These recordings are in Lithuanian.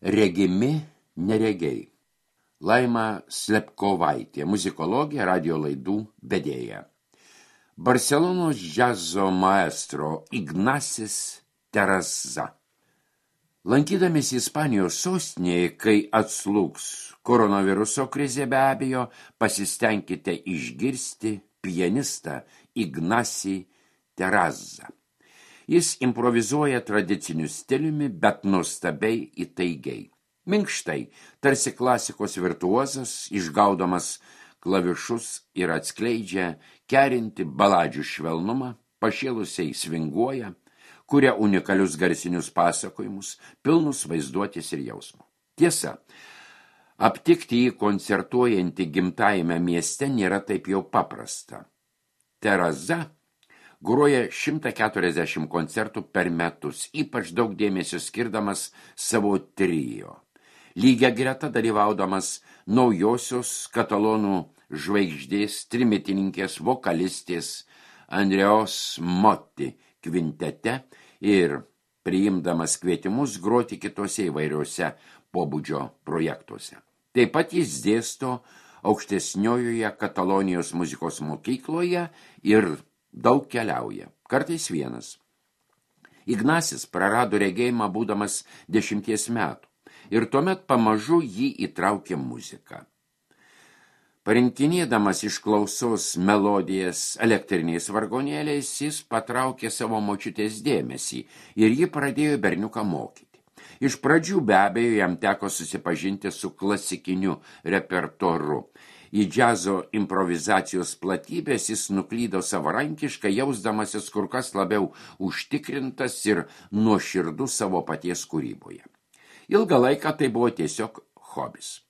Regimi neregiai. Laima Slepkovaitė, muzikologė, radio laidų vedėja. Barselonos džiazo maestro Ignasis Terraza. Lankydamėsi Ispanijos sostinėje, kai atslūgs koronaviruso krizė, be abejo, pasistengkite išgirsti pianistą Ignasį Terrazą. Jis improvizuoja tradiciniu stiliumi, bet nuostabiai įtaigiai. Minkštai, tarsi klasikos virtuozas, išgaudamas klavišus ir atskleidžia kerinti baladžių švelnumą, pašėlusiai svinguoja, kuria unikalius garsinius pasakojimus, pilnus vaizduotės ir jausmo. Tiesa, aptikti jį koncertuojantį gimtajame mieste nėra taip jau paprasta. Terraza groja 140 koncertų per metus, ypač daug dėmesio skirdamas savo trio. Lygia greta dalyvaudamas naujosios katalonų žvaigždės, trimitininkės, vokalistės Andreos Motti kvintete ir priimdamas kvietimus groti kitose įvairiuose pobūdžio projektuose. Taip pat jis dėsto aukštesniojoje Katalonijos muzikos mokykloje ir daug keliauja, kartais vienas. Ignasis prarado regėjimą būdamas 10 metų ir tuomet pamažu jį įtraukė muzika. Parinkinėdamas iš klausos melodijas elektriniais vargonėliais, jis patraukė savo močiutės dėmesį ir ji pradėjo berniuką mokyti. Iš pradžių be abejo jam teko susipažinti su klasikiniu repertuaru. Į džiazo improvizacijos platybės jis nuklydo savarankiškai, jausdamasis kur kas labiau užtikrintas ir nuoširdus savo paties kūryboje. Ilgą laiką tai buvo tiesiog hobis.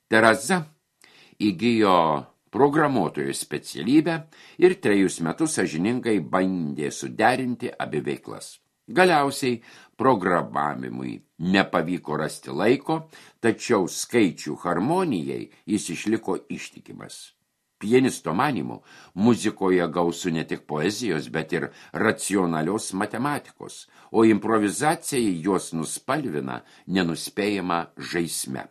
Terraza įgijo programuotojo specialybę ir 3 metus sąžiningai bandė suderinti abi veiklas. Galiausiai programavimui nepavyko rasti laiko, tačiau skaičių harmonijai jis išliko ištikimas. Pianisto manymu, muzikoje gausu ne tik poezijos, bet ir racionalios matematikos, o improvizacija juos nuspalvina nenuspėjama žaisme.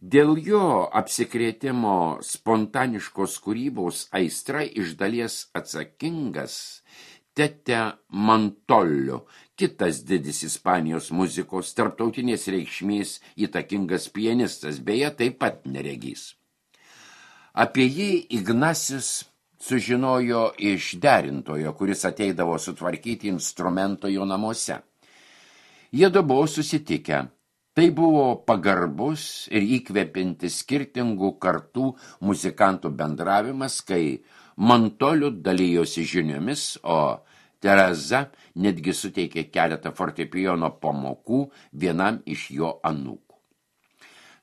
Dėl jo apsikrėtimo spontaniškos kūrybos aistra iš dalies atsakingas Tete Montolio, kitas didis Ispanijos muzikos tarptautinės reikšmės įtakingas pianistas, beje, taip pat neregys. Apie jį Ignasis sužinojo iš derintojo, kuris ateidavo sutvarkyti instrumento jo namuose. Jiedu buvo susitikę. Tai buvo pagarbus ir įkvepiantis skirtingų kartų muzikantų bendravimas, kai Montoliu dalijosi žiniomis, o Terraza netgi suteikė keletą fortepijono pamokų vienam iš jo anūkų.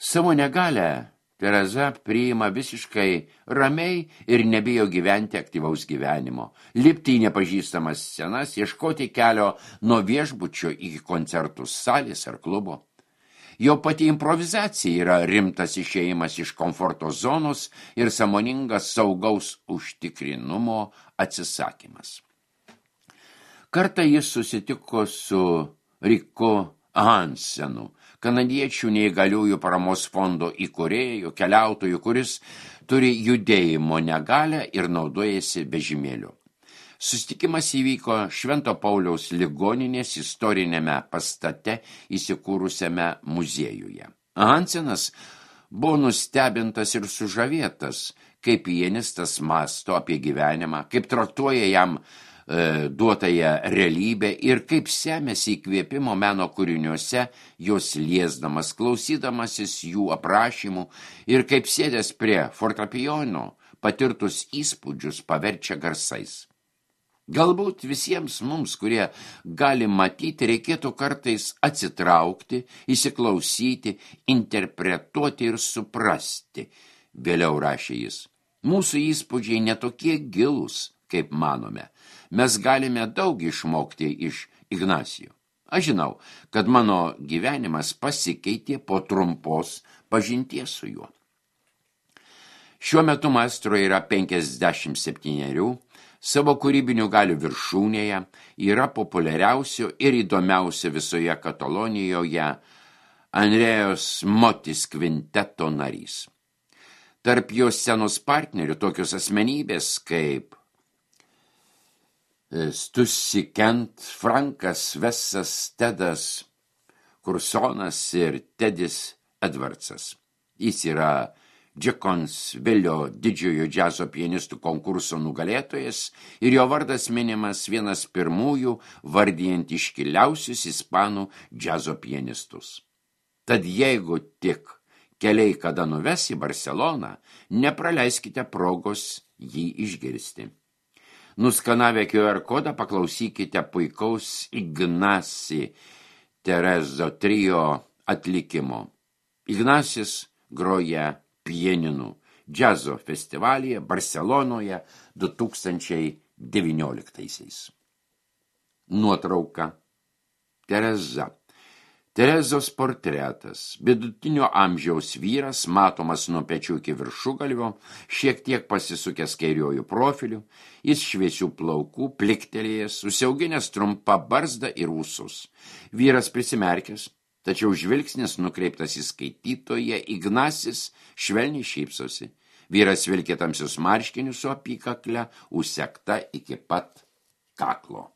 Savo negalią Terraza priima visiškai ramiai ir nebijo gyventi aktyvaus gyvenimo, lipti į nepažįstamas scenas, ieškoti kelio nuo viešbučio iki koncertų salės ar klubo. Jo pati improvizacija yra rimtas išėjimas iš komforto zonos ir sąmoningas saugaus užtikrinumo atsisakymas. Kartą jis susitiko su Riku Hansenu, kanadiečių neįgaliųjų paramos fondo įkūrėjų, keliautojų, kuris turi judėjimo negalią ir naudojasi vežimėliu. Susitikimas įvyko Švento Pauliaus ligoninės istorinėme pastate įsikūrusiame muziejuje. Hansenas buvo nustebintas ir sužavėtas, kaip pianistas mąsto apie gyvenimą, kaip traktuoja jam duotąją realybę ir kaip semiasi įkvėpimo meno kūriniuose, jos liesdamas, klausydamasis jų aprašymų ir kaip sėdęs prie fortepijono patirtus įspūdžius paverčia garsais. Galbūt visiems mums, kurie gali matyti, reikėtų kartais atsitraukti, įsiklausyti, interpretuoti ir suprasti, vėliau rašė jis. Mūsų įspūdžiai netokie gilūs, kaip manome. Mes galime daug išmokti iš Ignacio. Aš žinau, kad mano gyvenimas pasikeitė po trumpos pažinties su juo. Šiuo metu maestro yra 57, savo kūrybinių galių viršūnėje, yra populiariausio ir įdomiausio visoje Katalonijoje Andrėjos Motis kvinteto narys. Tarp jo scenos partnerių tokios asmenybės kaip Stussy Kent, Frankas Vessas, Tedas Kursonas ir Tedis Edwardsas. Jis yra Džekonsvilio didžiojo džiazo pianistų konkurso nugalėtojas ir jo vardas minimas vienas pirmųjų vardijant iškiliausius ispanų džiazo pianistus. Tad jeigu tik keliai kada nuves į Barceloną, nepraleiskite progos jį išgirsti. Nuskanavę QR kodą paklausykite puikaus Ignasi Terezo trio atlikimo. Ignasis groja pianinu džiazo festivalyje Barcelonoje 2019. Nuotrauka. Tereza. Terezos portretas. Vidutinio amžiaus vyras, matomas nuo pečių iki viršugalvio, šiek tiek pasisukęs kairiuoju profiliu, jis šviesių plaukų, pliktelėjęs, susiauginęs trumpą barzdą ir ūsus. Vyras prisimerkęs, tačiau žvilgsnis nukreiptas į skaitytoją, Ignasis švelniai šypsosi. Vyras vilkė tamsius marškinius su apykakle, užsegta iki pat kaklo.